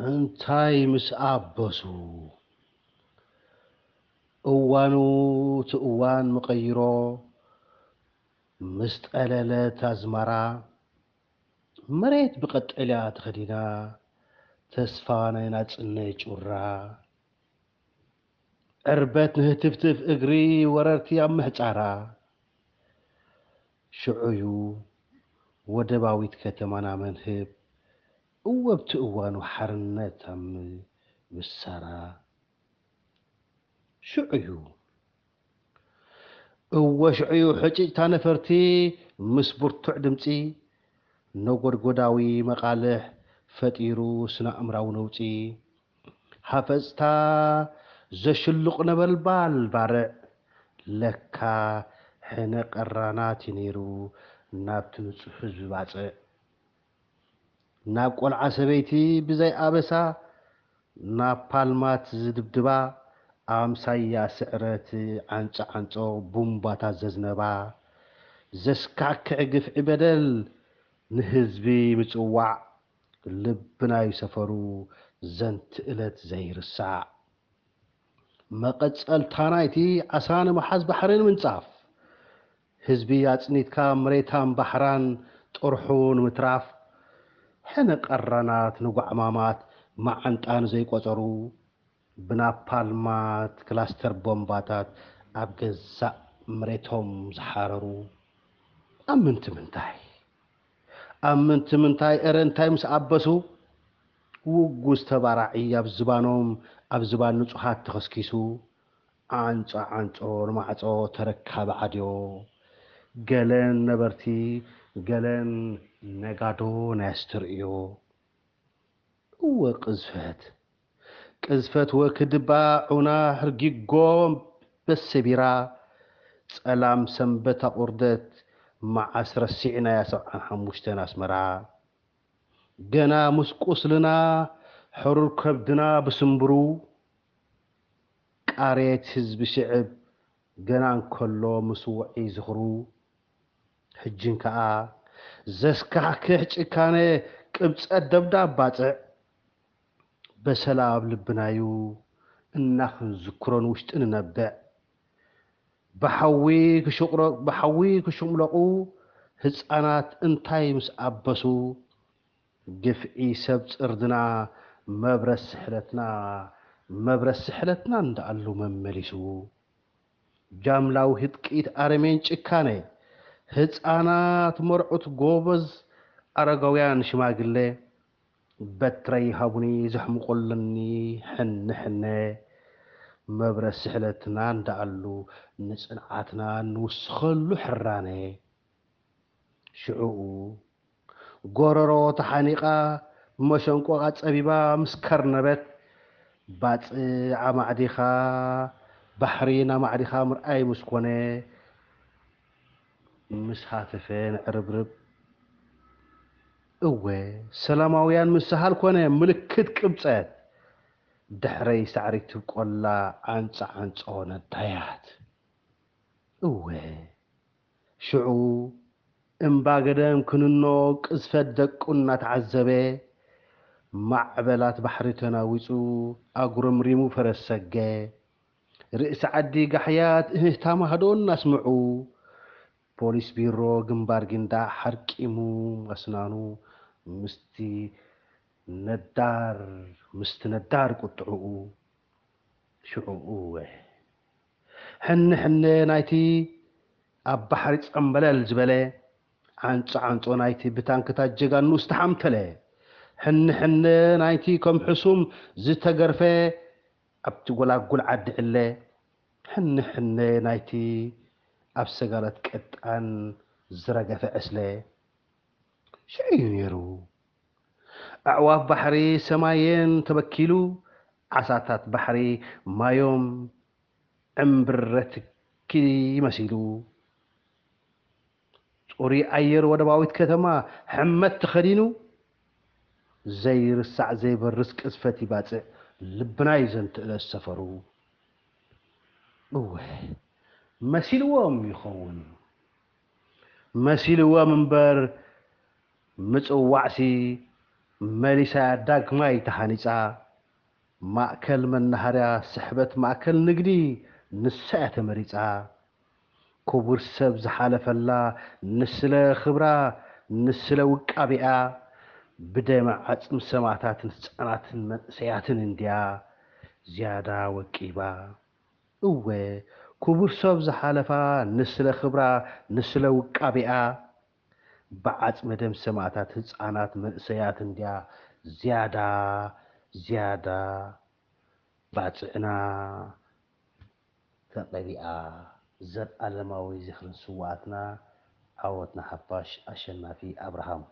እንታይ ምስ ኣበሱ እዋኑ እቲ እዋን መቐይሮ ምስ ጠለለት ኣዝመራ መሬት ብቐጠልያ ተኸዲና ተስፋ ናይ ናጽነት ጩራ ዕርበት ንህትፍትፍ እግሪ ወረርቲ ኣብ ምሕጻራ ሽዑዩ ወደባዊት ከተማና መንህብ እወ ኣብቲ እዋኑ ሓርነት ኣብ ምብሳራ ሽዑዩ እወ ሽዑዩ ሕጭጭታ ነፈርቲ ምስ ብርቱዕ ድምፂ ነጎድጎዳዊ መቓልሕ ፈጢሩ ስነ-ኣእምራዊ ነውፂ ሃፈፅታ ዘሽልቕ ነበልባል ባርዕ ለካ ሕነ ቀራናት እዩ ነይሩ ናብቲ ንፁህ ህዝቢ ባፅዕ ናብ ቆልዓ ሰበይቲ ብዘይ ኣበሳ ናብ ፓልማት ዝድብድባ ኣምሳያ ስዕረት ዓንጾ ዓንጾ ቡምባታት ዘዝነባ ዘስካክዕ ግፍዒ በደል ንህዝቢ ምጽዋዕ ልብናዩ ሰፈሩ ዘንቲ እለት ዘይርሳዕ መቐጸልታ ናይቲ ዓሳ ንምሓዝ ባሕሪ ንምንጻፍ ህዝቢ ኣጽኒትካ መሬታን ባሕራን ጥርሑ ንምትራፍ ሕነ ቀራናት ንጓዕማማት መዓንጣ ንዘይቆጸሩ ብናፓልማት ክላስተር ቦምባታት ኣብ ገዛእ መሬቶም ዝሓረሩ ኣብ ምንቲ ምንታይ ኣብ ምንቲ ምንታይ እረ እንታይ ምስ ኣበሱ ውጉዝ ተባራዒ ኣብ ዝባኖም ኣብ ዝባን ንጹሃት ተኸስኪሱ ዓንጾ ዓንጾ ንማዕጾ ተረካቢ ዓድዮ ገለን ነበርቲ ገለን ነጋዶ ናይ ኣስተርእዮ እወ ቅዝፈት ቅዝፈት ወክድባ ዑና ህርጊጎ በሰቢራ ጸላም ሰንበት ኣቑርደት መዓስ ረሲዕናያ ሰብዓን ሓሙሽተን ኣስመራ ገና ምስ ቁስልና ሕሩር ከብድና ብስምብሩ ቃሬት ህዝቢ ሽዕብ ገና እንከሎ ምስ ውዒ ዝኽሩ ሕጅን ከኣ ዘስካሕክሕ ጭካነ ቅብጸት ደብዳብ ባጽዕ በሰላ ኣብ ልብናዩ እናኽንዝክሮ ንውሽጢ ንነብዕ ብሓዊ ክሽቕረ- ብሓዊ ክሽምለቑ ህፃናት እንታይ ምስ ኣበሱ ግፍዒ ሰብ ፅርድና መብረት ስሕለትና መብረት ስሕለትና እንዳኣሉ መመሊሱ ጃምላዊ ህጥቂት ኣረሜን ጭካነ ህፃናት መርዑት ጎበዝ ኣረጋውያን ሽማግሌ በትረይ ሃቡኒ ዘሕምቆለኒ ሕነ ሕነ መብረ ስሕለትና እንዳኣሉ ንፅንዓትና ንውስኸሉ ሕራነ ሽዕኡ ጎረሮ ተሓኒቓ መሸንቆቓ ጸቢባ ምስ ከርነበት ባጽዕ ኣማዕዲኻ ባሕሪ ናማዕዲኻ ምርኣይ ምስ ኮነ ምስ ሃተፈ ንዕርብርብ እወ ሰላማውያን ምሰሃል ኮነ ምልክት ቅብጸት ድሕረይ ሳዕሪ ትብቆላ ዓንጻ ዓንጾ ነዳያት እወ ሽዑ እምባ ገደም ክንኖ ቅዝፈት ደቁ እናተዓዘበ ማዕበላት ባሕሪ ተናዊጹ ኣጉረምሪሙ ፈረስ ሰገ ርእሲ ዓዲ ጋሕያት እህህታ ማህዶ እናስምዑ ፖሊስ ቢሮ ግንባር ጊንዳዕ ሓርቂሙ ኣስናኑ ምስቲ ነዳር ምስቲ ነዳር ቁጥዕኡ ሽዑ እወ ሕነ ሕነ ናይቲ ኣብ ባሕሪ ጸምበለል ዝበለ ዓንጾ ዓንጾ ናይቲ ብታንክታት ጀጋኑ ዝተሓምተለ ሕነ ሕነ ናይቲ ከም ሕሱም ዝተገርፈ ኣብቲ ጎላጉል ዓዲ ዕለ ሕነ ሕነ ናይቲ ኣብ ሰጋለት ቅጣን ዝረገፈ ዕስለ ሽዑ እዩ ነይሩ። ኣዕዋፍ ባሕሪ ሰማየን ተበኪሉ፣ ዓሳታት ባሕሪ ማዮም ዕምብረትኪ መሲሉ፣ ጽሩይ ኣየር ወደባዊት ከተማ ሕመት ተኸዲኑ፣ ዘይርሳዕ ዘይበርስ ቅዝፈት ይባጽዕ ልብና እዩ ዘንትእለት ሰፈሩ። እወ መሲልዎም ይኸውን። መሲልዎም እምበር ምጽዋዕሲ መሊሳ እያ ዳግማይ ተሃኒጻ። ማእከል መናሃርያ ስሕበት ማእከል ንግዲ ንሳ እያ ተመሪጻ። ክቡር ሰብ ዝሓለፈላ ንስለ ክብራ ንስለ ውቃቢኣ ብደም ዓጽሚ ሰማእታትን ህጻናትን መንእሰያትን እንድያ ዝያዳ ወቂባ። እወ ክቡር ሰብ ዝሓለፋ ንስለ ክብራ ንስለ ውቃቢኣ ብዓጽመ ደም ሰማእታት ህጻናት መንእሰያት እንድያ ዝያዳ ዝያዳ ባጽዕና ተቐቢኣ። ዘልኣለማዊ ዝኽርን ስውኣትና ዓወት ንሓፋሽ ኣሸናፊ ኣብርሃም።